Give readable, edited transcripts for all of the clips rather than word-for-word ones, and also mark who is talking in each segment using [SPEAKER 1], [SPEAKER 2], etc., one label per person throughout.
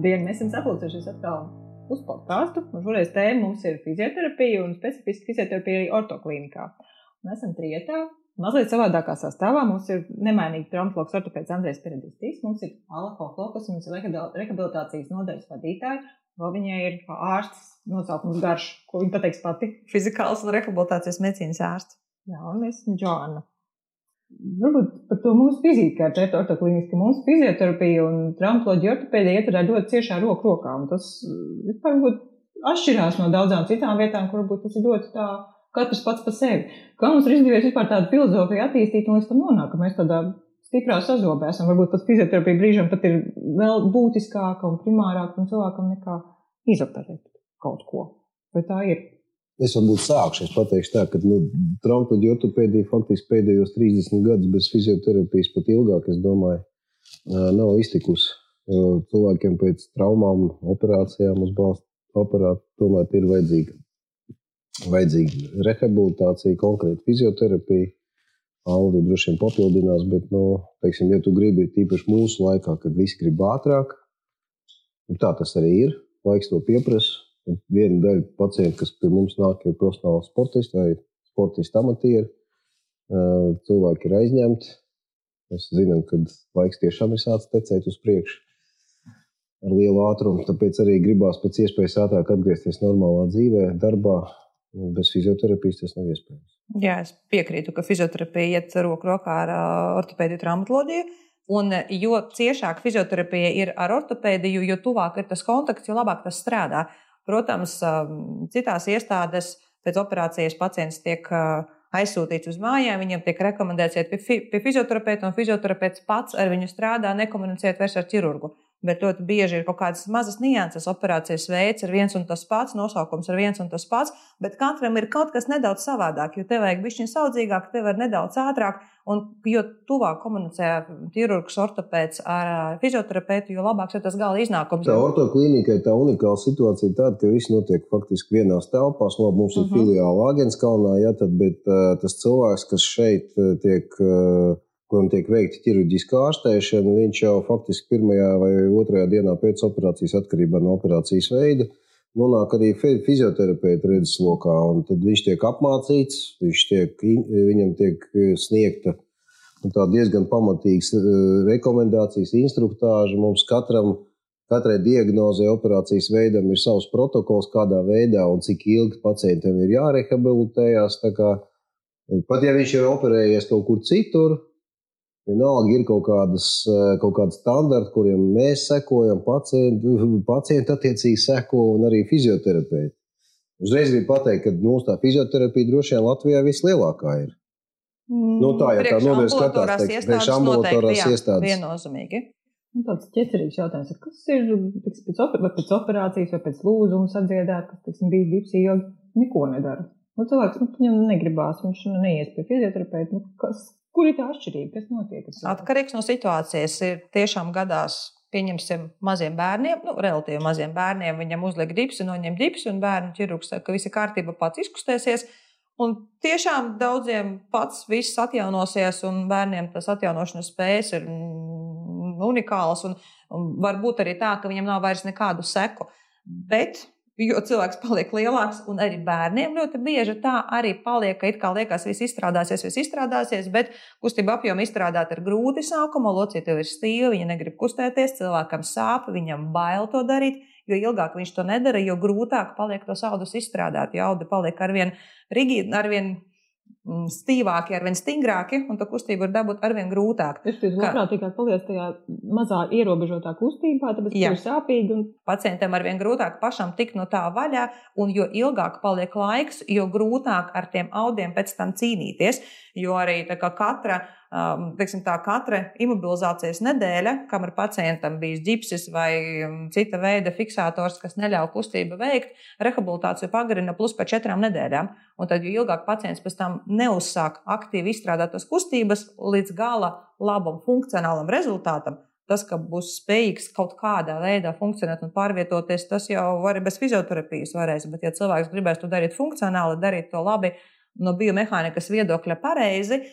[SPEAKER 1] Labdien, mēs esam sapulcējušies atkal uz podcastu. Un šoreiz tēma mums ir fizioterapija un specifiski fizioterapija ortoklīnikā. Mēs esam trietā, mazliet savādākā sastāvā. Mums ir nemainīgi traumatologs ortopēds Andrejs Peredistis. Mums ir Alla Koklokas, mums ir rehabilitācijas nodaļas vadītāja. Vēl viņai ir ārsts nosaukums garš, ko viņa pateiks pati.
[SPEAKER 2] Fizikāls un rehabilitācijas medicīnas ārsts.
[SPEAKER 1] Jā, un es esmu Džoana. Varbūt par to mūsu vizīti, kā ar ortoklīniski, mūsu fizioterapija un traumatoloģija ortopēdija ieturē ļoti ciešā roku rokā, un tas varbūt atšķirās no daudzām citām vietām, kur varbūt tas ir ļoti tā, katrs pats pa sevi. Kā mums ir izdevies vispār tādu filozofiju attīstīt un līdz tam nonāk, ka mēs tādā stiprā sazobē esam, varbūt pat fizioterapija brīžam pat ir vēl būtiskāka un primārāka un cilvēkam nekā izoperēt kaut ko. Vai tā ir?
[SPEAKER 3] Es varbūt sākšu, es pateikšu tā, ka traumatoloģija ortopēdija faktiski pēdējos 30 gadus bez fizioterapijas pat ilgāk, es domāju, nav iztikusi. Jo cilvēkiem pēc traumām, operācijām uz balstu aparātu tomēr ir vajadzīga rehabilitācija, konkrēta fizioterapija. Aldi droši vien papildinās, bet, teiksim, ja tu gribi tīpaši mūsu laikā, kad visi grib ātrāk, tā tas arī ir, laiks to pieprasa. Viena daļa pacienti, kas pie mums nāk, ir profesionāli sportisti vai sportisti amatieri. Cilvēki ir aizņemti. Mēs zinām, ka laiks tiešām ir sācis tecēt uz priekšu ar lielu ātrumu. Tāpēc arī gribās pēc iespējas ātrāk atgriezties normālā dzīvē, darbā. Bez fizioterapijas tas nav iespējams.
[SPEAKER 2] Jā, es piekrītu, ka fizioterapija iet roku rokā ar ortopēdiju traumatoloģiju. Un jo ciešāk fizioterapija ir ar ortopēdiju, jo tuvāk ir tas kontakts, jo labāk tas strādā. Protams, citās iestādēs pēc operācijas pacients tiek aizsūtīts uz mājām, viņam tiek rekomendēts iet pie fizioterapeita, un fizioterapeits pats ar viņu strādā, nekomunicēt vairs ar ķirurgu. Bet ļoti bieži ir kaut kādas mazas nianses, operācijas veids ir viens un tas pats, nosaukums ir viens un tas pats, bet katram ir kaut kas nedaudz savādāk, jo tev vajag bišķiņ saudzīgāk, tev ir nedaudz ātrāk, un jo tuvāk komunicē ķirurgs, ortopēds ar fizioterapeitu, jo labāks ir tas gala iznākums.
[SPEAKER 3] Tā ortoklīnikai tā unikāla situācija ir tāda, ka viss notiek faktiski vienās telpās. Mums ir filiāla Āgenskalnā, bet tas cilvēks, kas šeit kuram tiek veikta ķirurģiskā ārstēšana, viņš jau faktiski pirmajā vai otrajā dienā pēc operācijas atkarībā no operācijas veida nonāk arī fizioterapeita redzeslokā, un tad viņš tiek apmācīts, viņam tiek sniegta tā diezgan pamatīgas rekomendācijas, instruktāža. Mums katrai diagnozei operācijas veidam ir savs protokols, kādā veidā un cik ilgi pacientam ir jārehabilitējās. Tā kā, pat ja viņš ir operējies kaut kur citur, vienalga ir kaut kādi standarti, kuriem mēs sekojam, pacienti attiecīgi seko un arī fizioterapeiti. Uzreiz gribu pateikt, ka mūsu tā fizioterapija droši vien Latvijā vislielākā ir. Tā, ja tā novēr skatās, priekš ambulatorās iestādes.
[SPEAKER 2] Viennozīmīgi.
[SPEAKER 1] Tāds ķecerīgs jautājums, kas ir pēc operācijas vai pēc lūzuma sadziedāt, kas bija ģipsi ilgi, neko nedara. Cilvēks, viņam negribās, viņš neies pie fizioterapeitu. Kur ir tā atšķirība? Kas notiek?
[SPEAKER 2] Atkarīgs no situācijas. Ir tiešām gadās, pieņemsim, maziem bērniem, relatīvi maziem bērniem, viņam uzliek ģipsi, noņem ģipsi, un bērnu ķirurgs saka, ka visi kārtība pats izkustēsies. Un tiešām daudziem pats viss atjaunosies, un bērniem tas atjaunošanas spējas ir unikālas, un var būt arī tā, ka viņam nav vairs nekādu seku. Bet jo cilvēks paliek lielāks, un arī bērniem ļoti bieži tā arī paliek, ka it kā liekas, viss izstrādāsies, bet kustība apjoma izstrādāt ir grūti sākumā, locīte ir stīva, viņa negrib kustēties, cilvēkam sāp, viņam bail to darīt, jo ilgāk viņš to nedara, jo grūtāk paliek tos audus izstrādāt, jo audi paliek arvien rigīdi, arvien stīvāki, arvien stingrāki, un tā kustība ir dabūt arvien grūtāk.
[SPEAKER 1] Es labprātīgāk paliec tajā mazā ierobežotā kustībā, tāpēc, ka ir sāpīgi. Un
[SPEAKER 2] pacientam arvien grūtāk pašam tikt no tā vaļā, un jo ilgāk paliek laiks, jo grūtāk ar tiem audiem pēc tam cīnīties, jo arī tā kā katra imobilizācijas nedēļa, kam ir pacientam bijis ģipsis vai cita veida fiksators, kas neļauj kustību veikt, rehabilitāciju pagarina plus pēc 4 nedēļām. Un tad, jo ilgāk pacients pēc tam neuzsāk aktīvi izstrādāt tās kustības līdz gala labam funkcionālam rezultātam, tas, ka būs spējīgs kaut kādā veidā funkcionēt un pārvietoties, tas jau var bez fizioterapijas varēs, bet ja cilvēks gribēs to darīt funkcionāli, darīt to labi no biomehānikas viedokļa pareizi,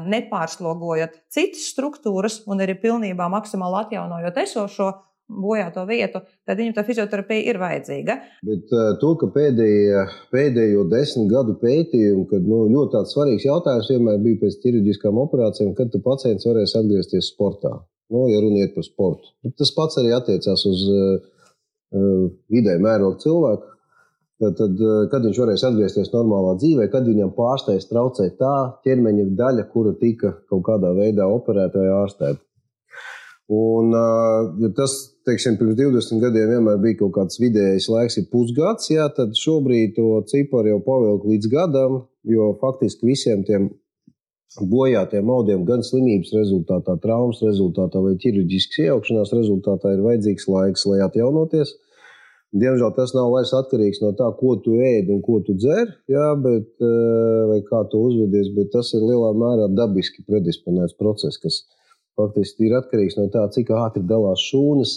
[SPEAKER 2] nepārslogojot citas struktūras un arī pilnībā maksimāli atjaunojot esošo, bojāto vietu, tad viņam tā fizioterapija ir vajadzīga.
[SPEAKER 3] Bet to, ka pēdējo 10 gadu pētījumu, kad ļoti tāds svarīgs jautājums vienmēr bija pēc ķirurģiskām operācijām, kad pacients varēs atgriezties sportā, ja runiet par sportu. Tas pats arī attiecās uz vidēja mēroga cilvēku. Tad, kad viņš varēs atgriezties normālā dzīvē, kad viņam pārsteigts traucēt tā ķermeņa daļa, kura tika kaut kādā veidā operēta vai ārstēta. Un, ja tas, teiksim, pirms 20 gadiem vienmēr bija kaut kāds vidējais laiks, ir pusgads, tad šobrīd to ciparu jau pavilk līdz gadam, jo faktiski visiem tiem bojātiem audiem gan slimības rezultātā, traumas rezultātā vai ķirurģiskas iejaukšanās rezultātā ir vajadzīgs laiks, lai atjaunoties. Diemžēl tas nav vairs atkarīgs no tā, ko tu ēd un ko tu dzer, vai kā tu uzvedies, bet tas ir lielā mērā dabiski predisponēts process, kas faktiski ir atkarīgs no tā, cik ātri dalās šūnas,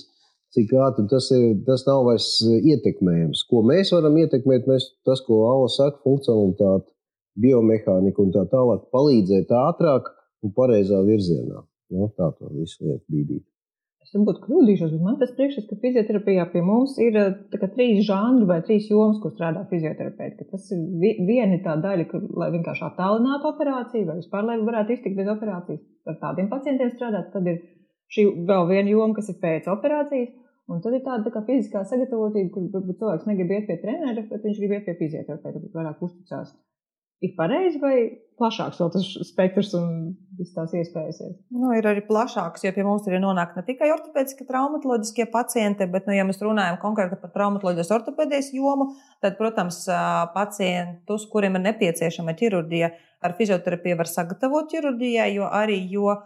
[SPEAKER 3] cik ātri tas nav vairs ietekmējams. Ko mēs varam ietekmēt, tas, ko Alla saka, funkcionalitāte, biomehānika un tā tālāk, palīdzēt ātrāk un pareizā virzienā. Tā to visu lietu bīdīt.
[SPEAKER 1] Es varbūt kļūdīšos, bet man tas priekšstats, ka fizioterapijā pie mums ir 3 žanri vai 3 jomas, kur strādā fizioterapeiti. Tas ir viena tā daļa, lai vienkārši attālinātu operāciju, vai vispār, lai varētu iztikt bez operācijas. Ar tādiem pacientiem strādāt. Tad ir šī vēl viena joma, kas ir pēc operācijas. Un tad ir tāda kā fiziskā sagatavotība, kur varbūt cilvēks negrib iet pie trenera, bet viņš grib iet pie fizioterapeita, bet vairāk uzticās. Ir pareizi vai plašāks vēl tas spektrs un viss tās iespējas ir?
[SPEAKER 2] Ir arī plašāks, jo pie mums arī nonāk ne tikai ortopēdiski traumatoloģiskie pacienti, bet, ja mēs runājam konkrēti par traumatoloģijas ortopēdijas jomu, tad, protams, pacientus, kuriem ir nepieciešama ķirurģija, ar fizioterapiju var sagatavot ķirurģijai, jo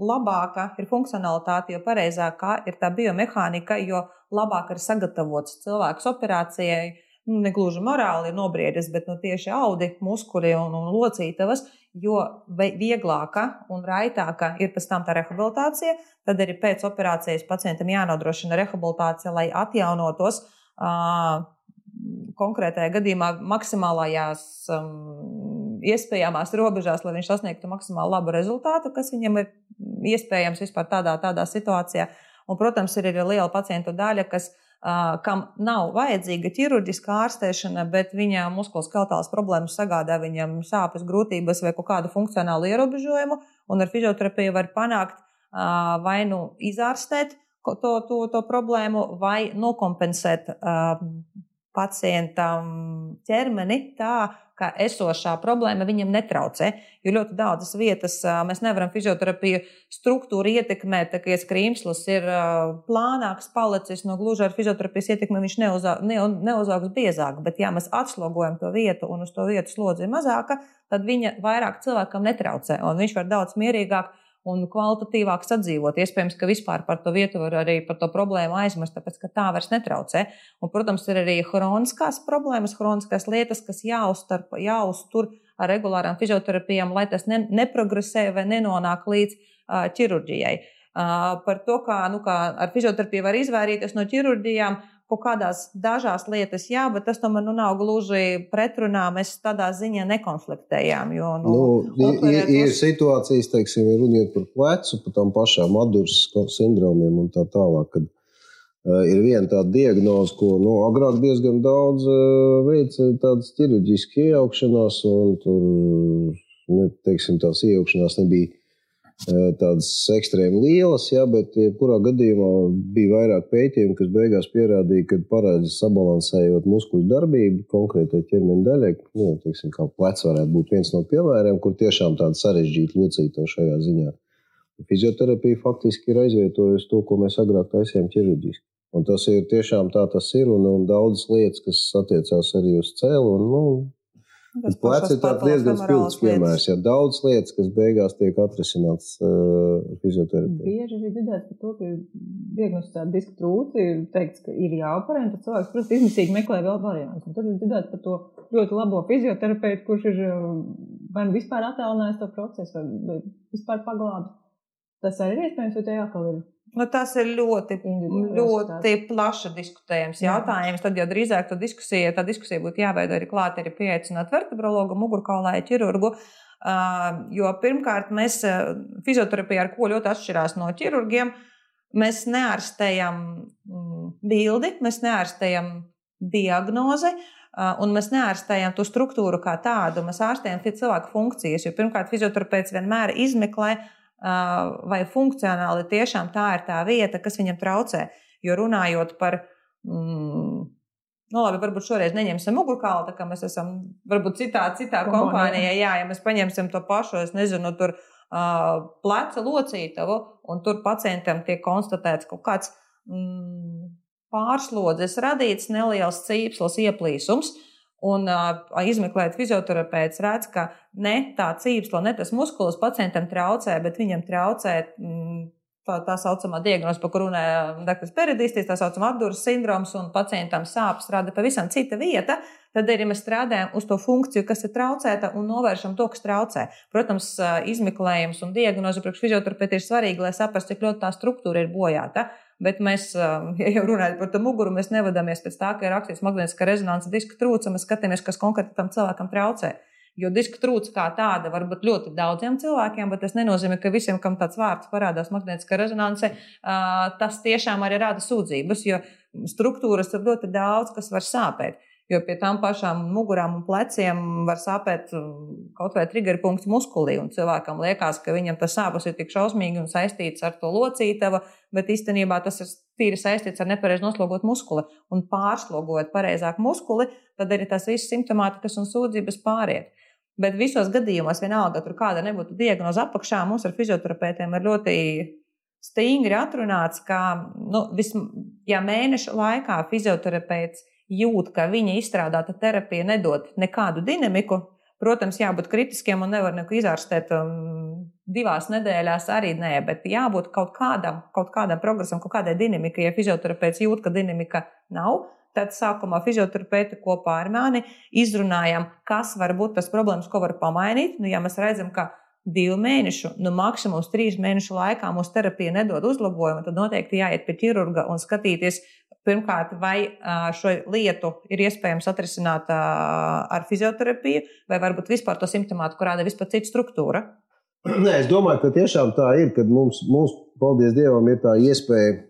[SPEAKER 2] labāka ir funkcionalitāte, jo pareizākā ir tā biomehānika, jo labāk ir sagatavots cilvēks operācijai. Negluži morāli ir nobriedis, bet tieši audi, muskuri un locītavas, jo vieglāka un raitāka ir pēc tam tā rehabilitācija, tad arī pēc operācijas pacientam jānodrošina rehabilitācija, lai atjaunotos konkrētajā gadījumā maksimālajās iespējamās robežās, lai viņš sasniegtu maksimāli labu rezultātu, kas viņam ir iespējams vispār tādā situācijā. Un, protams, ir arī liela pacientu daļa, kam nav vajadzīga ķirurģiska ārstēšana, bet viņa muskuloskeletālas problēmas sagādā viņam sāpes, grūtības vai kaut kādu funkcionālu ierobežojumu, un ar fizioterapiju var panākt vai izārstēt to problēmu, vai nokompensēt pacientam ķermeni tā, ka esošā problēma viņam netraucē, jo ļoti daudzas vietas mēs nevaram fizioterapiju struktūru ietekmēt, tā kā skrīmslis ir plānāks palicis, gluži ar fizioterapijas ietekmi viņš neuzaugs biezāk, bet ja mēs atslogojam to vietu un uz to vietu slodzi ir mazāka, tad viņa vairāk cilvēkam netraucē, un viņš var daudz mierīgāk un kvalitatīvāk sadzīvot. Iespējams, ka vispār par to vietu var arī par to problēmu aizmirst, tāpēc, ka tā vairs netraucē. Un, protams, ir arī hroniskās problēmas, hroniskās lietas, kas jāuztur ar regulārām fizioterapijām, lai tas neprogresē vai nenonāk līdz ķirurģijai. Par to, kā ar fizioterapiju var izvairīties no ķirurģijām, kaut kādās dažās lietas, jā, bet tas tomēr nav gluži pretrunā, mēs tādā ziņā nekonfliktējām. Jo,
[SPEAKER 3] ir situācijas, teiksim, runiet par plecu, par tām pašām Adurs sindromiem un tā tālāk, kad ir viena tāda diagnoze, ko agrāk diezgan daudz veica tādas ķirurģiskas iejaukšanās, un tur, teiksim, tās iejaukšanās nebija tādas ekstrēmi lielas, bet jebkurā gadījumā bija vairāk pētījumu, kas beigās pierādīja, ka parādās sabalansējot muskuļu darbību konkrētai ķermeņa daļai, teiksim, kā plecs varētu būt viens no piemēriem, kur tiešām tāda sarežģīta locīta šajā ziņā. Fizioterapija faktiski ir aizvietojusi to, ko mēs agrāk taisījām ķirurģiski. Un tas ir tiešām tā tas ir, un daudzas lietas, kas attiecās arī uz cēlu, Plecs ir tāds diezgan spilgts piemērs, daudz lietas, kas beigās tiek atrisināts fizioterapijā.
[SPEAKER 1] Bieži ir dzirdēts par to, ka ir diagnosticēta diska trūce, ir teikts, ka ir jāoperē, un tad cilvēks, protams, izmisīgi meklē vēl variantus. Un tad ir dzirdēts par to ļoti labo fizioterapeitu, kurš ir vai vispār attālinājis to procesu, vai vispār paglābis. Tas arī ir iespējams, vai te jākal ir?
[SPEAKER 2] Tas ir ļoti plaši diskutējams jautājums. Tad jau drīzāk tā diskusija būtu jāveido arī klāt arī pieaicināt vertebrologu, mugurkaulāju ķirurgu, jo pirmkārt mēs fizioterapija ar ko ļoti atšķirās no ķirurgiem, Mēs neārstējam bildi, mēs neārstējam diagnozi, un mēs neārstējam to struktūru kā tādu. Mēs ārstējam cilvēku funkcijas, jo pirmkārt fizioterapeits vienmēr izmeklē, vai funkcionāli tiešām tā ir tā vieta, kas viņam traucē. Jo runājot par, labi, varbūt šoreiz neņemsim mugurkaulu, tā kā mēs esam varbūt citā kompānijā, ja mēs paņemsim to pašu, es nezinu, tur pleca locītavu, un tur pacientam tiek konstatēts kaut kāds pārslodzes radīts neliels cīpslas ieplīsums, un izmeklēt fizioterapeits redz, ka ne tā cīpsla, ne tas muskulis pacientam traucē, bet viņam traucē tā saucamā diagnoze, par kur runāja dr. Peridistis, tā saucamā apduras sindroms, un pacientam sāpes rada pavisam cita vieta, tad arī mēs strādājam uz to funkciju, kas ir traucēta, un novēršam to, kas traucē. Protams, izmeklējums un diagnoze priekš fizioterapeita ir svarīgi, lai saprastu, cik ļoti tā struktūra ir bojāta. Bet mēs, ja jau runājam par to muguru, mēs nevadāmies pēc tā, ka ir rakstīts magnētiskā rezonanse diska trūce, mēs skatāmies, kas konkrēti tam cilvēkam traucē. Jo diska trūce kā tāda var būt ļoti daudziem cilvēkiem, bet tas nenozīmē, ka visiem, kam tāds vārds parādās magnētiskā rezonanse, tas tiešām arī rada sūdzības, jo struktūras ir ļoti daudz, kas var sāpēt. Jo pie tām pašām mugurām un pleciem var sāpēt kaut vai triggerpunkts muskulī, un cilvēkam liekas, ka viņam tas sāpes ir tik šausmīgi un saistīts ar to locītavu, bet īstenībā tas ir tīri saistīts ar nepareizi noslogot muskuli. Un pārslogojot pareizāk muskuli, tad arī tās visas simptomātikas un sūdzības pāriet. Bet visos gadījumos, vienalga, tur kāda nebūtu diagnoze apakšā, mums ar fizioterapeitiem ir ļoti stingri atrunāts, ka ja mēneša laikā fizioterapeits jūt, ka viņa izstrādāta terapija nedod nekādu dinamiku, protams, jābūt kritiskiem un nevar neko izārstēt 2 nedēļās arī nē, bet jābūt kaut kādam progresam, kaut kādai dinamikai. Ja fizioterapeits jūt, ka dinamika nav, tad sākumā fizioterapeiti kopā ar mani izrunājam, kas var būt tas problēmas, ko var pamainīt. Ja mēs redzam, ka 2 mēnešu, maksimums 3 mēnešu laikā mūsu terapija nedod uzlabojumu, tad noteikti jāiet pie ķirurga un skatīties, pirmkārt, vai šo lietu ir iespējams atrisināt ar fizioterapiju, vai varbūt vispār to simptomātiku rāda vispār cita struktūra?
[SPEAKER 3] Nē, es domāju, ka tiešām tā ir, kad mums, paldies Dievam, ir tā iespēja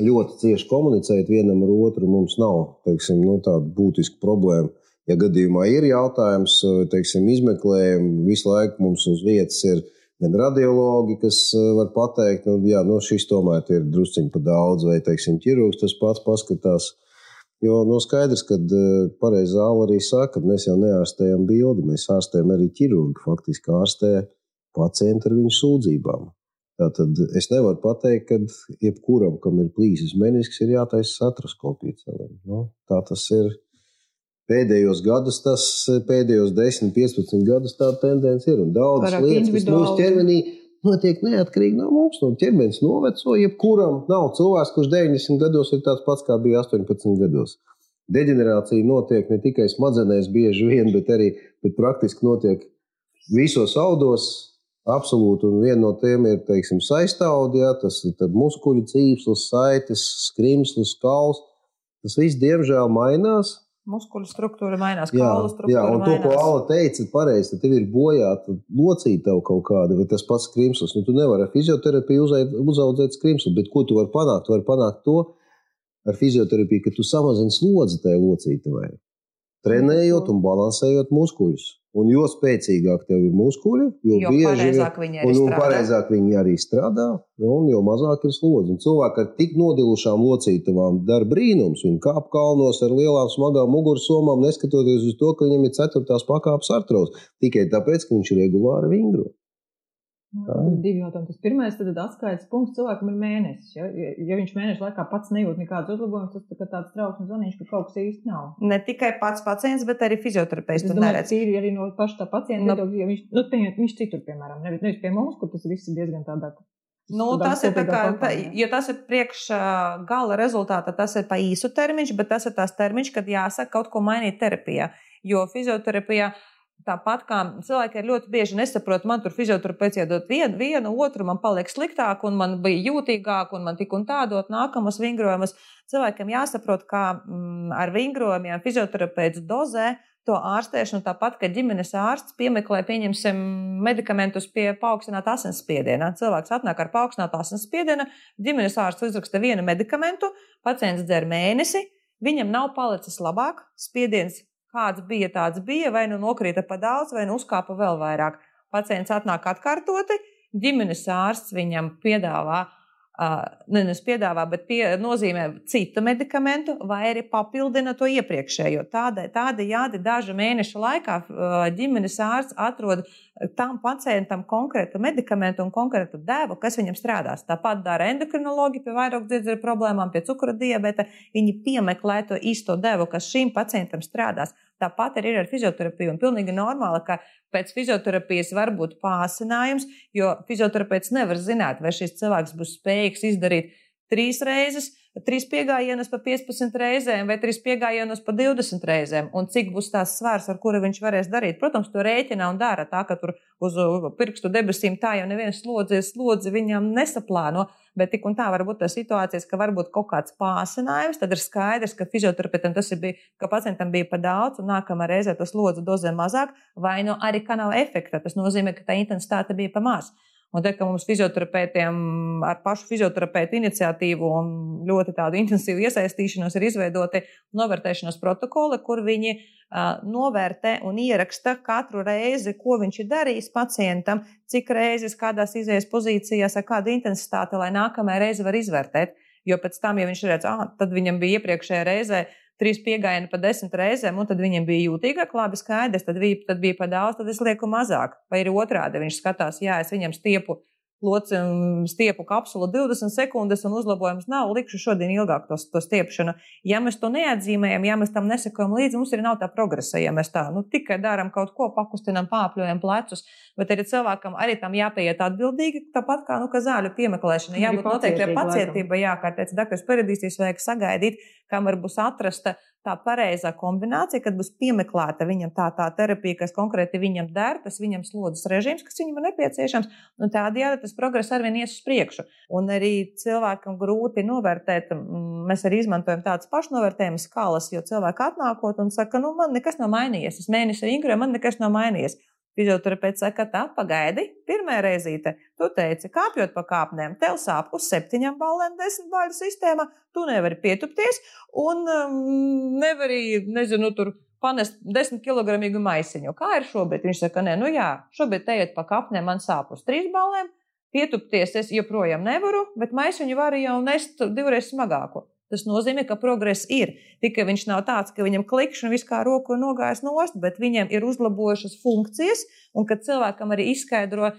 [SPEAKER 3] ļoti cieši komunicēt vienam ar otru. Mums nav, tāda būtiska problēma. Ja gadījumā ir jautājums, izmeklējumi, visu laiku mums uz vietas ir gan radiologi, kas var pateikt, šis tomēr ir drusciņi pa daudz, vai, ķirurgs tas pats paskatās. Jo skaidrs, ka pareizi Zāle arī saka, ka mēs jau neārstējam bildi, mēs ārstējam arī ķirurgi, faktiski ārstē pacientu ar viņu sūdzībām. Tātad es nevaru pateikt, ka jebkuram, kam ir plīsis menisks, ir jātaisa artroskopija celēm. Tā tas ir. Pēdējos 10, 15 gadus tāda tendence ir. Un daudzas lietas, kas mūsu ķermenī notiek neatkarīgi no mums. No ķermenis noveco, jebkuram nav cilvēks, kurš 90 gados ir tāds pats, kā bija 18 gados. Deģenerācija notiek ne tikai smadzenēs bieži vien, bet praktiski notiek visos audos. Absolūti, un viena no tiem ir, saistaudi, tas ir muskuļu cīpslis, saites, skrimslis, kauls. Tas viss, diemžēl, mainās.
[SPEAKER 2] Muskuļu struktūra mainās, kaulu struktūra mainās.
[SPEAKER 3] Jā, un to, ko Alla teica, pareizi, tad tev ir bojāta locītava kaut kāda, vai tas pats skrimslis. Tu nevari ar fizioterapiju uzaudzēt skrimsli, bet ko tu vari panākt? Tu vari panākt to ar fizioterapiju, ka tu samazini slodzi tajā locītavai, trenējot un balansējot muskuļus. Un jo spēcīgāk tev ir muskuļi, jo
[SPEAKER 2] pareizāk
[SPEAKER 3] viņi arī strādā, un jo mazāk ir slodzi. Un cilvēki ar tik nodilušām locītavām dara brīnums. Viņi kāp kalnos ar lielām smagām mugursomām, neskatoties uz to, ka viņam ir 4. pakāpes artroze. Tikai tāpēc, ka viņš regulāri vingro.
[SPEAKER 1] Tad 2 jautājumi. Tas pirmais, tad atskaites punkts cilvēkam ir mēnesis. Ja viņš mēneša laikā pats nejūt nekādas uzlabojumus, tas tāds trauksmes zvanīgs, ka kaut kas īsti nav.
[SPEAKER 2] Ne tikai pats pacients, bet arī fizioterapeits.
[SPEAKER 1] Es domāju, ka ir arī no paša tā pacienta viedokļa, ja viņš citur, piemēram, nevis pie mums, kur tas viss ir diezgan tādā.
[SPEAKER 2] Tas ir tā kā, jo tas ir priekš gala rezultāta, tas ir pa īsu termiņš, bet tas ir tās termiņš, kad jāsaka kaut ko mainīt terapijā. Jo fizioterapijā tāpat kā cilvēki ir ļoti bieži nesaprot, man tur fizioterapeits iedot vienu, otru, man paliek sliktāk, un man bija jūtīgāk, un man tik un tā dot nākamas vingrojumus. Cilvēkiem jāsaprot, kā ar vingrojumiem fizioterapeits dozē to ārstēšanu, tāpat, ka ģimenes ārsts piemeklē, pieņemsim, medikamentus pie paaugstināta asinsspiediena. Cilvēks atnāk ar paaugstinātu asinsspiedienu, ģimenes ārsts uzraksta vienu medikamentu, pacients dzer mēnesi, viņam nav palicis labāk, spiediens kāds bija, tāds bija, vai nu nokrīta pa daudz, vai nu uzkāpa vēl vairāk. Pacients atnāk atkārtoti, ģimenes ārsts viņam piedāvā, nozīmē citu medikamentu vai arī papildina to iepriekšējo. Tādējādi dažu mēnešu laikā ģimenes ārsts atrod tam pacientam konkrētu medikamentu un konkrētu devu, kas viņam strādās. Tāpat dara endokrinologi pie vairogdziedzera problēmām, pie cukura diabeta. Viņi piemeklē to īsto devu, kas šīm pacientam strādās. Tāpat arī ir ar fizioterapiju. Un pilnīgi normāli, ka pēc fizioterapijas var būt pāsinājums, jo fizioterapeits nevar zināt, vai šis cilvēks būs spējīgs izdarīt 3 reizes, 3 piegājienus pa 15 reizēm vai 3 piegājienus pa 20 reizēm. Un cik būs tās svārs, ar kuru viņš varēs darīt. Protams, to rēķina un dara tā, ka tur uz pirkstu debesīm tā jau neviens slodzi viņam nesaplāno. Bet tik un tā var būt tā situācijas, ka varbūt kaut kāds pāsinājums, tad ir skaidrs, ka fizioterapeitam tas bija, ka pacientam bija pa daudz un nākamā reizē tas lodzi dozē mazāk, vai nu arī ka nav efekta. Tas nozīmē, ka tā intensitāte bija pa maz. Un te, ka mums fizioterapeitiem ar pašu fizioterapeitu iniciatīvu un ļoti tādu intensīvu iesaistīšanos ir izveidoti novērtēšanas protokoli, kur viņi novērtē un ieraksta katru reizi, ko viņš ir darījis pacientam, cik reizes, kādās izējas pozīcijās, ar kādu intensitāti, lai nākamajā reizi var izvērtēt. Jo pēc tam, ja viņš redz, tad viņam bija iepriekšējā reizē 3 piegājieni pa 10 reizēm, un tad viņam bija jūtīgāk, labi skaidrs, tad bija pa daudz, tad es lieku mazāk. Vai ir otrādi, viņš skatās, es viņam stiepu kapsulu 20 sekundes un uzlabojums nav, likšu šodien ilgāk to stiepšanu. Ja mēs to neatzīmējam, ja mēs tam nesakojam līdzi, mums arī nav tā progresa, ja mēs tā, tikai daram kaut ko, pakustinam, pāpļojam plecus, bet arī cilvēkam arī tam jāpieiet atbildīgi, tāpat kā, ka zāļu piemeklēšana, jābūt noteikti pacietība, kā teica Dr. Peredīsīs, vajag sagaidīt, kamēr būs atrasta tā pareizā kombinācija, kad būs piemeklēta viņam tā terapija, kas konkrēti viņam der, tas viņam slodzes režīms, kas viņam ir nepieciešams, un tādējādi tas progress arvien ies uz priekšu. Un arī cilvēkam grūti novērtēt, mēs arī izmantojam tādas pašnovērtējuma skalas, jo cilvēki atnākot un saka, man nekas nav mainījies, es mēnesi vingroju, man nekas nav mainījies. Fizioterapeits saka, tā, pagaidi, pirmā reizīte, tu teici, kāpjot pa kāpnēm, tev sāp uz 7 ballēm 10 baļu sistēmā, tu nevari pietupties un nevari, tur panest 10 kilogramīgu maisiņu. Kā ir šobrīd? Viņš saka, šobrīd ejot pa kāpnēm, man sāp uz 3 ballēm, pietupties es joprojām nevaru, bet maisiņu varu jau nest 2 reizes smagāku. Tas nozīmē, ka progress ir. Tikai viņš nav tāds, ka viņam klikšķi un viss kā roku nogājis nost, bet viņam ir uzlabojušas funkcijas, un kad cilvēkam arī izskaidro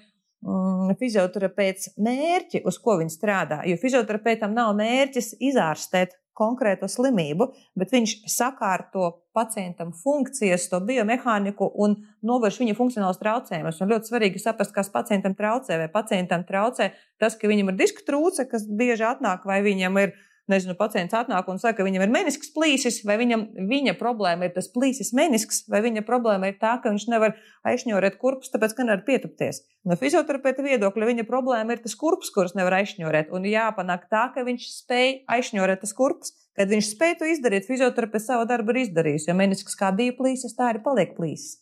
[SPEAKER 2] fizioterapeits mērķi, uz ko viņš strādā. Jo fizioterapeitam nav mērķis izārstēt konkrētu slimību, bet viņš sakārto pacientam funkcijas, to biomehāniku un novērš viņa funkcionālus traucējumus. Un ļoti svarīgi saprast, kas pacientam traucē, vai pacientam traucē tas, ka viņam ir disku trūce, kas bieži atnāk, vai viņam ir pacients atnāk un saka, ka viņam ir menisks plīsis, vai viņa problēma ir tas plīsis menisks, vai viņa problēma ir tā, ka viņš nevar aizšņorēt kurpus, tāpēc, ka nevar pietupties. No fizioterapeita viedokļa viņa problēma ir tas kurpus, kurus nevar aizšņorēt, un jāpanāk tā, ka viņš spēj aizšņorēt tas kurpus. Kad viņš spēj to izdarīt, fizioterapeits savu darbu ir izdarījis, jo menisks kā bija plīsis, tā arī paliek plīsis.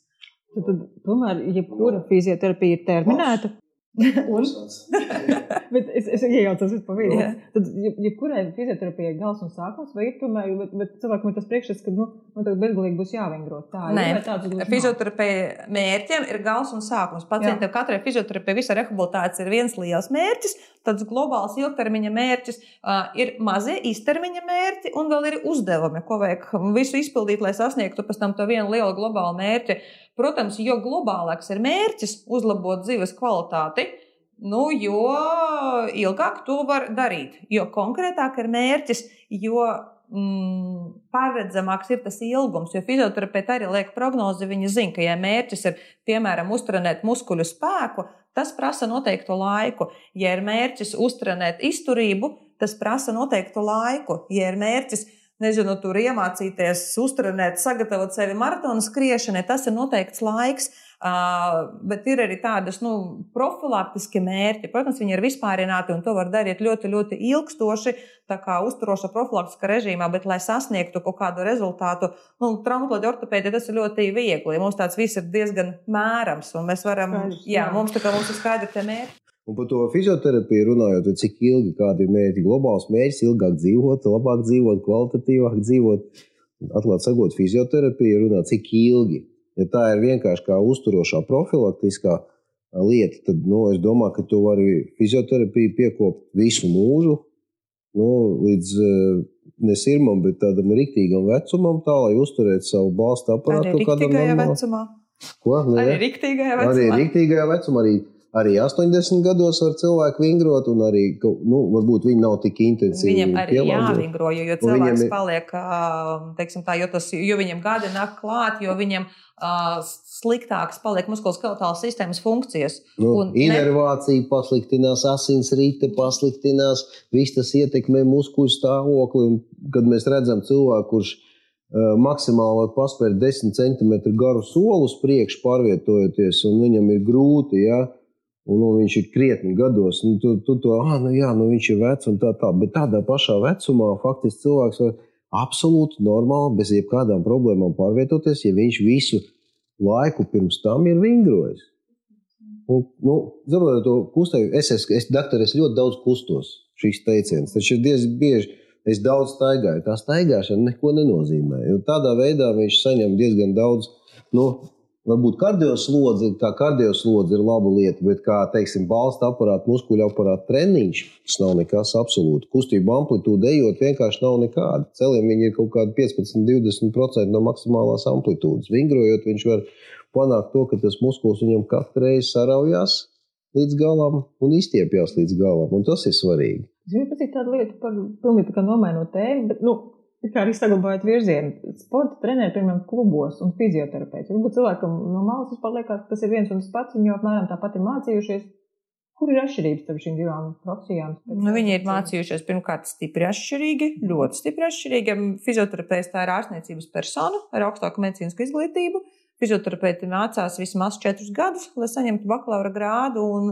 [SPEAKER 1] Tad tomēr, jebkura fizioterapija ir terminēta. Bet es iejaucos pa vidu. Tad, jebkurai fizioterapijai gals un sākums, vai ir tomēr, bet cilvēkam ir tas priekšstats, ka, tagad bezgalīgi būs jāvingro.
[SPEAKER 2] Nē, fizioterapija mērķiem ir gals un sākums. Pacientam katrai fizioterapija visa rehabilitācija ir viens liels mērķis, tāds globāls ilgtermiņa mērķis, ir mazie īstermiņa mērķi un vēl ir uzdevumi, ko vajag visu izpildīt, lai sasniegtu pēc tam to vienu lielu globālu mērķi. Protams, jo globālāks ir mērķis uzlabot dzīves kvalitāti, jo ilgāk to var darīt. Jo konkrētāk ir mērķis, jo paredzamāks ir tas ilgums, jo fizioterapeiti arī liek prognozi, viņi zina, ka ja mērķis ir, piemēram, uztrenēt muskuļu spēku, tas prasa noteiktu laiku. Ja ir mērķis uztrenēt izturību, tas prasa noteiktu laiku. Ja ir mērķis nezinu, tur iemācīties, uztrenēt, sagatavot sevi maratonu skriešanai, tas ir noteikts laiks. Bet ir arī tādas profilaktiski mērķi. Protams, viņi ir vispārināti un to var darīt ļoti, ļoti ilgstoši, tā kā uzturoša profilaktiska režīmā, bet, lai sasniegtu kaut kādu rezultātu, traumatoloģija ortopēdija tas ir ļoti viegli. Mums tāds viss ir diezgan mērams un mēs varam, mums ir skaidri tie mērķi.
[SPEAKER 3] Un par to fizioterapiju runājot, cik ilgi kādi ir mērķi, globāls mērķis, ilgāk dzīvot, labāk dzīvot, kvalitatīvāk dzīvot. Atklāt sakot, fizioterapija runā cik ilgi. Ja tā ir vienkārši kā uzturošā profilaktiskā lieta, tad es domāju, ka tu vari fizioterapiju piekopt visu mūžu, līdz ne sirmam, bet tādam riktīgam vecumam, tā, lai uzturētu savu balstu aparātu.
[SPEAKER 2] Arī riktīgajā vecumā.
[SPEAKER 3] Ko?
[SPEAKER 2] Arī riktīgajā vecumā.
[SPEAKER 3] Arī riktīgajā vecumā, arī 80 gados var cilvēki vingrot, un arī, varbūt viņi nav tik intensīvi.
[SPEAKER 2] Viņam arī jāvingro, jo cilvēks paliek, teiksim tā, jo viņam gadi nāk klāt, jo viņam sliktākas paliek muskuloskeletālas sistēmas funkcijas.
[SPEAKER 3] Inervācija pasliktinās, asinsrite pasliktinās, viss tas ietekmē muskuļu stāvokli, un kad mēs redzam cilvēku, kurš maksimāli paspēr 10 cm garu soli uz priekšu pārvietojoties, un viņam ir grūti, un viņš ir krietni gados, viņš ir vecs un tā, bet tādā pašā vecumā faktiski cilvēks var absolūti normāli, bez jebkādām problēmām pārvietoties, ja viņš visu laiku pirms tam ir vingrojis. Saprotu to kustību, es ļoti daudz kustos šīs teiciens, taču ir diezgan bieži, es daudz staigāju, tā staigāšana neko nenozīmē, jo tādā veidā viņš saņem diezgan daudz, varbūt kardioslodze ir laba lieta, bet kā, teiksim, balsta aparāta, muskuļu aparāta treniņš, tas nav nekas absolūti. Kustību amplitūda ejot vienkārši nav nekāda. Celiem viņi ir kaut kādi 15-20% no maksimālās amplitūdas. Vingrojot, viņš var panākt to, ka tas muskuls viņam katru reizi saraujās līdz galam un izstiepjās līdz galam, un tas ir svarīgi.
[SPEAKER 1] Es gribu pateikt tādu lietu par pilnīgi kā nomainot tēmu, bet, kā arī saglabājot virzienu, sporta treneri, piemēram, klubos un fizioterapeiti. Varbūt cilvēkam no malas vispār liekas, ka tas ir viens un tas pats, viņi jau apmēram tāpat ir mācījušies. Kur ir atšķirības starp šīm divām profesijām?
[SPEAKER 2] Viņi ir mācījušies pirmkārt stipri atšķirīgi, ļoti stipri atšķirīgi. Fizioterapeits tā ir ārstniecības persona ar augstāku medicīnisku izglītību. Fizioterapeiti mācās vismaz 4 gadus, lai saņemtu bakalaura grādu un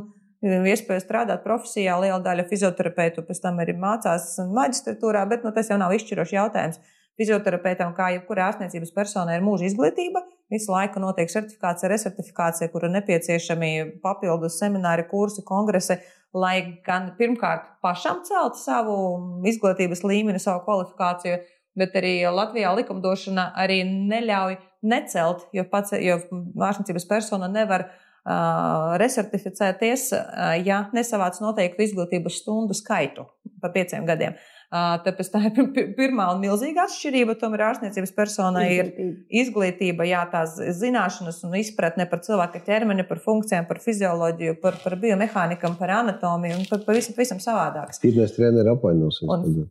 [SPEAKER 2] iespēja strādāt profesijā. Liela daļa fizioterapeitu pēc tam arī mācās maģistratūrā, bet tas jau nav izšķirošs jautājums. Fizioterapeitam, kā jebkurā ārstniecības personai, ir mūža izglītība. Visu laiku notiek certifikācija, resertifikācija, kur ir nepieciešami papildus semināri, kursi, kongresi, lai gan pirmkārt pašam celtu savu izglītības līmeni, savu kvalifikāciju, bet arī Latvijā likumdošana arī neļauj necelt, jo ārstniecības persona nevar resertificēties, ja nesavāc noteiktu izglītības stundu skaitu pa 5 gadiem. Tāpēc tā ir pirmā un milzīga atšķirība. Tomēr ārstniecības personai ir izglītība, tās zināšanas un izpratne par cilvēka ķermeni, par funkcijām, par fizioloģiju, par biomehānikam, par anatomiju un par visam savādāks.
[SPEAKER 3] Fitness treneri apvainosies tagad.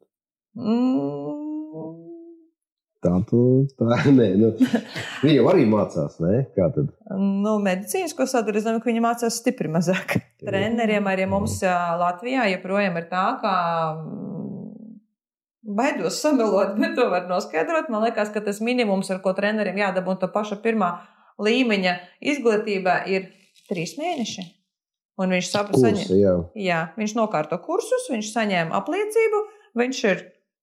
[SPEAKER 3] Viņi jau arī mācās, ne? Kā tad?
[SPEAKER 2] Medicīnisko sadaļu, es domāju, ka viņi mācās stipri mazāk. Treneriem arī mums Latvijā joprojām ir tā, ka baidos samelot, bet to var noskaidrot. Man liekas, ka tas minimums, ar ko treneriem jādabū to paša pirmā līmeņa izglītībā, ir 3 mēneši. Un viņš viņš nokārto kursus, viņš saņēma apliecību, viņš ir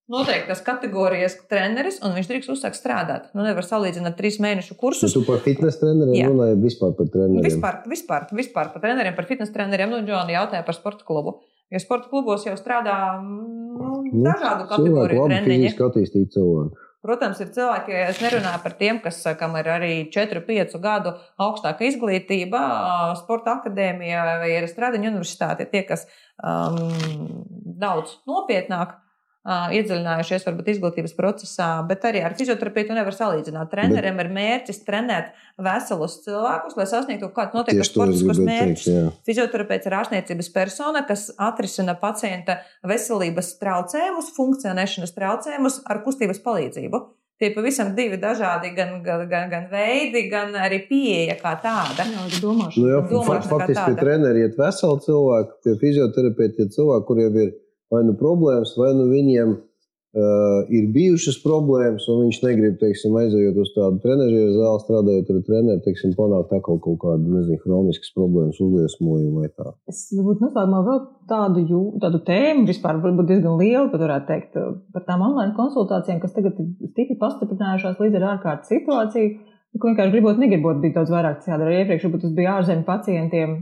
[SPEAKER 2] noteiktas kategorijas treneris, un viņš drīkst uzsākt strādāt. Nevar salīdzināt 3 mēnešu kursus.
[SPEAKER 3] Tu par fitness treneriem runāji vispār par treneriem?
[SPEAKER 2] Vispār par treneriem, par fitness treneriem. Džoni jautāja par sporta klubu. Jo sporta klubos jau strādā dažādu kategoriju treniņi.
[SPEAKER 3] Fiziski attīstīt cilvēku.
[SPEAKER 2] Protams, ir cilvēki, es nerunāju par tiem, kam ir arī 4-5 gadu augstāka izglītība, sporta akadēmija vai ir Stradiņa universitāte, tie, kas daudz nopietnāk iedziļinājušies varbūt izglītības procesā, bet arī ar fizioterapeitu nevar salīdzināt. Treneriem ir mērķis trenēt veselus cilvēkus, lai sasniegtu kādu noteiktu sportiskos mērķus. Fizioterapeits ir ārstniecības persona, kas atrisina pacienta veselības traucējumus, funkcionēšanas traucējumus ar kustības palīdzību. Tie pavisam 2 dažādi gan veidi, gan arī pieeja kā tāda.
[SPEAKER 3] Faktiski pie treneri iet veseli cilvēki, pie fizioterapeiti iet cilvēki, kuriem ir vai nu problēmas, vai nu viņiem ir bijušas problēmas, un viņš negrib, teiksim, aizejot uz tādu trenežieru zāli, strādājot ar treneri, teiksim, panākt atkal kaut kādu, nezinu, hroniskas problēmas, uzliesmojumu vai tā.
[SPEAKER 1] Es varbūt noslēgumā vēl tādu tēmu, vispār varbūt diezgan lielu, pat varētu teikt, par tām online konsultācijām, kas tagad ir stipri pastiprinājušās līdz ar ārkārtas situāciju, ko vienkārši negribot bija daudz vairāk jādara. Iepriekš varbūt tas bija ārzemju pacientiem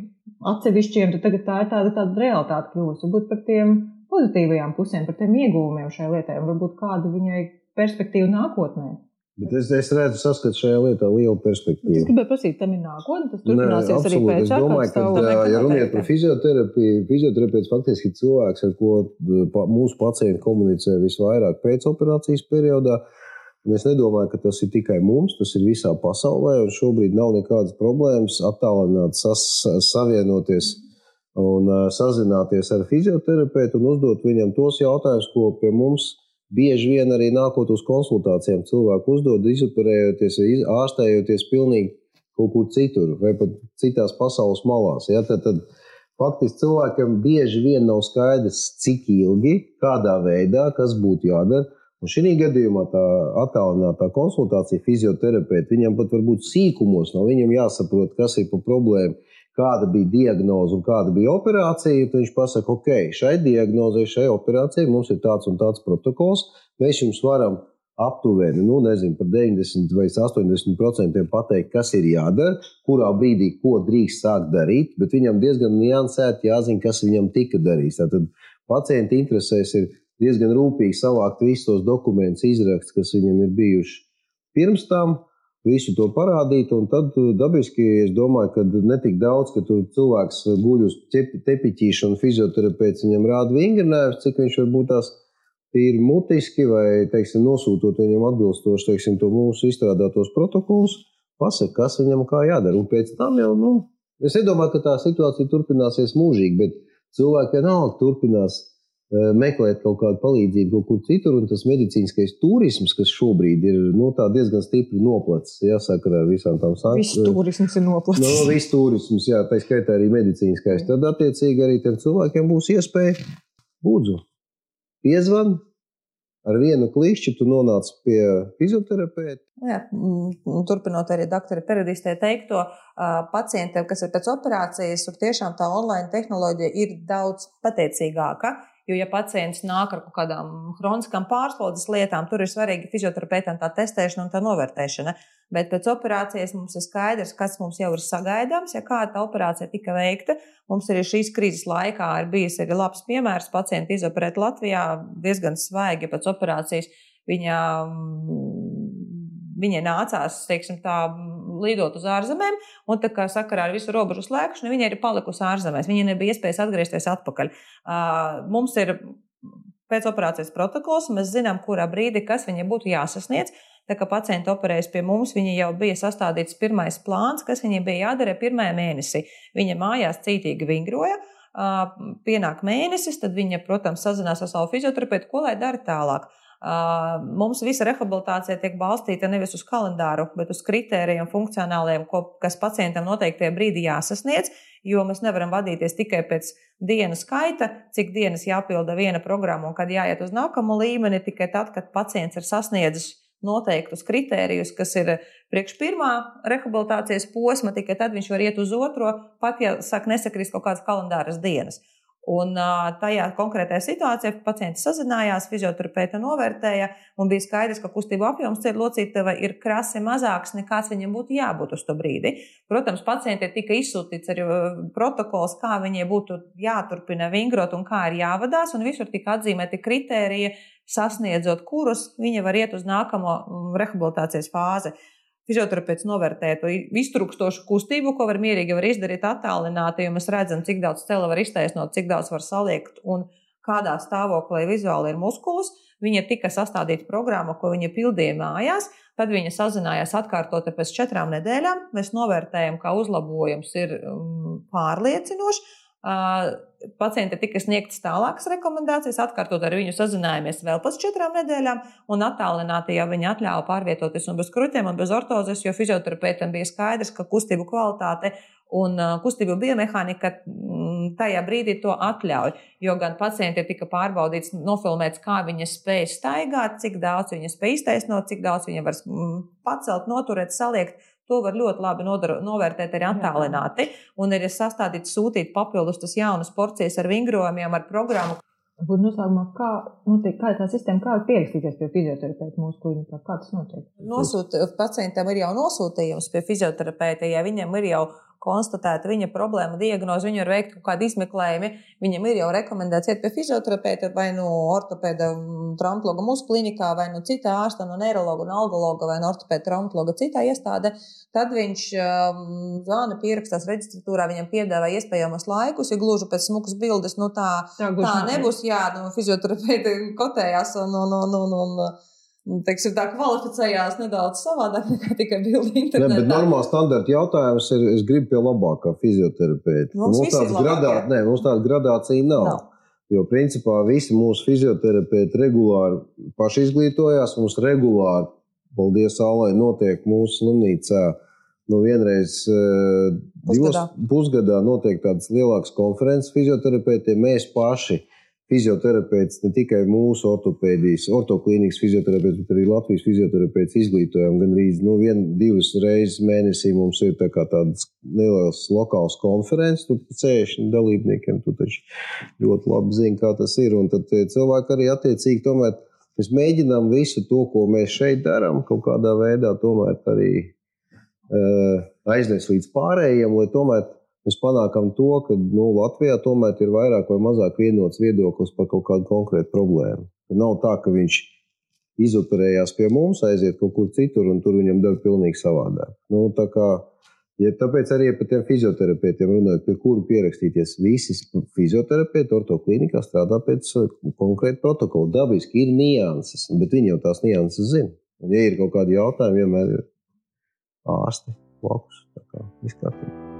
[SPEAKER 1] atsevišķiem, tad tagad tā ir tāda realitāte kļūst. Varbūt par tiem pozitīvajām pusēm, par tiem ieguvumiem šai lietai, un varbūt kādu viņai perspektīvu nākotnē.
[SPEAKER 3] Bet es redzu, saskatu šajā lietā lielu perspektīvu.
[SPEAKER 1] Es gribēju prasīt, tam ir nākotne, tas turpināsies arī pēc
[SPEAKER 3] es domāju, ka, ja runiet par fizioterapiju, fizioterapeits faktiski ir cilvēks, ar ko mūsu pacienti komunicē visvairāk pēc operācijas periodā. Un es nedomāju, ka tas ir tikai mums, tas ir visā pasaulē, un šobrīd nav nekādas problēmas attālināt, savienoties un sazināties ar fizioterapeitu un uzdot viņam tos jautājumus, ko pie mums bieži vien arī nākot uz konsultācijām cilvēku uzdod, izoperējoties vai ārstējoties pilnīgi kaut kur citur vai pat citās pasaules malās. Ja? Tad faktiski cilvēkam bieži vien nav skaidrs, cik ilgi, kādā veidā, kas būtu jādara. Un šī gadījumā tā attālinātā konsultācija fizioterapeita, viņam pat varbūt sīkumos nav, viņam jāsaprot, kas ir pa problēmu, kāda bija diagnoze un kāda bija operācija, tad viņš pasaka, ok, šai diagnozei, šai operācijai mums ir tāds un tāds protokols, mēs jums varam aptuveni, par 90 vai 80% pateikt, kas ir jādara, kurā brīdī, ko drīkst sākt darīt, bet viņam diezgan niansēti jāzina, kas viņam tika darīts. Tātad pacienta interesēs ir diezgan rūpīgi savākt visus tos dokumentus, izraksts, kas viņam ir bijuši pirms tam, visu to parādīt, un tad dabiski es domāju, ka netik daudz, ka tur cilvēks guļ uz tepiķīšu un fizioterapeits viņam rāda vingrinājums, cik viņš varbūt tās ir mutiski vai, teiksim, nosūtot viņam atbilstoši, teiksim, to mūsu izstrādātos protokolus, pasaka, kas viņam kā jādara. Un pēc tam jau, es nedomāju, ka tā situācija turpināsies mūžīgi, bet cilvēki vienalga turpinās meklēt kaut kādu palīdzību kaut kur citur, un tas medicīniskais turisms, kas šobrīd ir tā diezgan stipri noplacis, jāsaka, ar visām tām sankcijām.
[SPEAKER 1] Viss turisms ir noplacis.
[SPEAKER 3] Viss turisms, jā, tā skaitā arī medicīniskais. Tad attiecīgi arī tiem cilvēkiem būs iespēja lūdzu piezvan, ar vienu klikšķi tu nonāc pie fizioterapeita.
[SPEAKER 2] Jā, turpinot arī doktora Peredistē teikto, pacientiem, kas ir pēc operācijas, tur tiešām tā online tehnoloģija ir daudz pateicīgāka. Jo, ja pacients nāk ar kaut kādām hroniskām pārslodzes lietām, tur ir svarīgi fizioterapeitam tā testēšana un tā novērtēšana. Bet pēc operācijas mums ir skaidrs, kas mums jau ir sagaidāms, ja kāda tā operācija tika veikta. Mums arī šīs krīzes laikā ir bijis arī labs piemērs. Pacienti izoperēt Latvijā diezgan svaigi pēc operācijas. Viņai nācās, teiksim tā, lidot uz ārzemēm, un tā kā sakarā ar visu robežu slēgšanu, viņa ir palikusi ārzemēs. Viņa nebija iespējas atgriezties atpakaļ. Mums ir pēc operācijas protokols, mēs zinām, kurā brīdī, kas viņai būtu jāsasniedz. Tā kā pacienti operējas pie mums, viņa jau bija sastādīts pirmais plāns, kas viņai bija jādara pirmajā mēnesī. Viņa mājās cītīgi vingroja, pienāk mēnesis, tad viņa, protams, sazinās ar savu fizioterapeitu, ko lai dara tālāk. Mums visa rehabilitācija tiek balstīta nevis uz kalendāru, bet uz kritērijiem funkcionāliem, kas pacientam noteiktajā brīdī jāsasniedz, jo mēs nevaram vadīties tikai pēc dienu skaita, cik dienas jāpilda viena programma un kad jāiet uz nākamo līmeni, tikai tad, kad pacients ir sasniedzis noteiktus kritērijus, kas ir priekš pirmā rehabilitācijas posma, tikai tad viņš var iet uz otro, pat ja nesakrist kaut kādas kalendāras dienas. Un tajā konkrētajā situācijā pacienti sazinājās, fizioterapeita novērtēja un bija skaidrs, ka kustību apjoms locītavai ir krasi mazāks, nekāds viņam būtu jābūt uz to brīdi. Protams, pacientiem tika izsūtīts arī protokols, kā viņai būtu jāturpina vingrot un kā ir jāvadās, un visur tika atzīmēti kritēriji, sasniedzot kurus viņa var iet uz nākamo rehabilitācijas fāzi. Fizioterapeits novērtē to iztrukstošu kustību, ko var mierīgi izdarīt attālināti, jo mēs redzam, cik daudz cela var iztaisnot, cik daudz var saliekt un kādā stāvoklī vizuāli ir muskulis. Viņa tika sastādīta programma, ko viņa pildīja mājās, tad viņa sazinājās atkārtoti pēc 4 nedēļām. Mēs novērtējam, ka uzlabojums ir pārliecinošs. Pacienti tika sniegtas tālākas rekomendācijas, atkārtot ar viņu sazinājāmies vēl pēc 4 nedēļām, un attālināti jau viņa atļāva pārvietoties un bez kruķiem un bez ortozes, jo fizioterapeitam bija skaidrs, ka kustību kvalitāte Un kustību biomehānika tajā brīdī to atļauj, jo gan pacienti tika pārbaudīts, nofilmēts, kā viņa spēj staigāt, cik daudz viņa spēj iztaisnot, cik daudz viņa var pacelt, noturēt, saliekt. To var ļoti labi novērtēt arī attālināti. Un ir sastādīt, sūtīt papildus tas jaunas porcijas ar vingrojumiem, ar programmu.
[SPEAKER 1] Būtu noslēgumā, kā tā sistēma, kā pierakstīties pie fizioterapeita mūsu klinikā? Kā tas notiek?
[SPEAKER 2] Pacientam ir jau nosūtījums pie fizioterapeita, ja viņam ir jau konstatēta viņa problēma, diagnoze, viņu ir veikt kaut kādi izmeklējumi, viņam ir jau rekomendēts iet pie fizioterapeita vai ortopēda traumatologa mūsu klinikā, vai citā ārsta, neirologa un algologa vai ortopēda traumatologa citā iestāde, tad viņš zvana, pierakstās reģistratūrā, viņam piedāvā iespējamos laikus, ja gluži pēc smukas bildes, tā nebūs, fizioterapeita kotējās un teiksim, tā kvalificējās nedaudz savādāk nekā tikai bildi internetā.
[SPEAKER 3] Ne, bet normāli standarta jautājums ir, es gribu pie labākā fizioterapeita. Mums tāda gradācija nav. Jo principā visi mūsu fizioterapeiti regulāri paši izglītojās, mums regulāri, paldies Allai, notiek mūsu slimnīcā. Vienreiz pusgadā notiek tādas lielākas konferences fizioterapeitiem, mēs paši fizioterapeits, ne tikai mūsu ortoklīnikas fizioterapeits, bet arī Latvijas fizioterapeits izglītojam. Gan arī 1-2 reizes mēnesī mums ir tādas lielas lokālas konferences, tur 60 dalībniekiem, tu taču ļoti labi zini, kā tas ir. Un tad cilvēki arī attiecīgi tomēr, mēs mēģinām visu to, ko mēs šeit darām, kaut kādā veidā tomēr arī aiznest līdz pārējiem, lai tomēr mēs panākam to, ka Latvijā tomēr ir vairāk vai mazāk vienots viedoklis par kaut kādu konkrētu problēmu. Nav tā, ka viņš izoperējās pie mums, aiziet kaut kur citur un tur viņam dara pilnīgi savādāk. Tāpēc arī par tiem fizioterapeitiem runājot, pie kuru pierakstīties. Visi fizioterapeiti ortoklīnikā strādā pēc konkrēta protokola. Dabiski ir nianses, bet viņi jau tās nianses zina. Un ja ir kaut kādi jautājumi, vienmēr ir ārsti blakus. Tā kā viss kārtībā.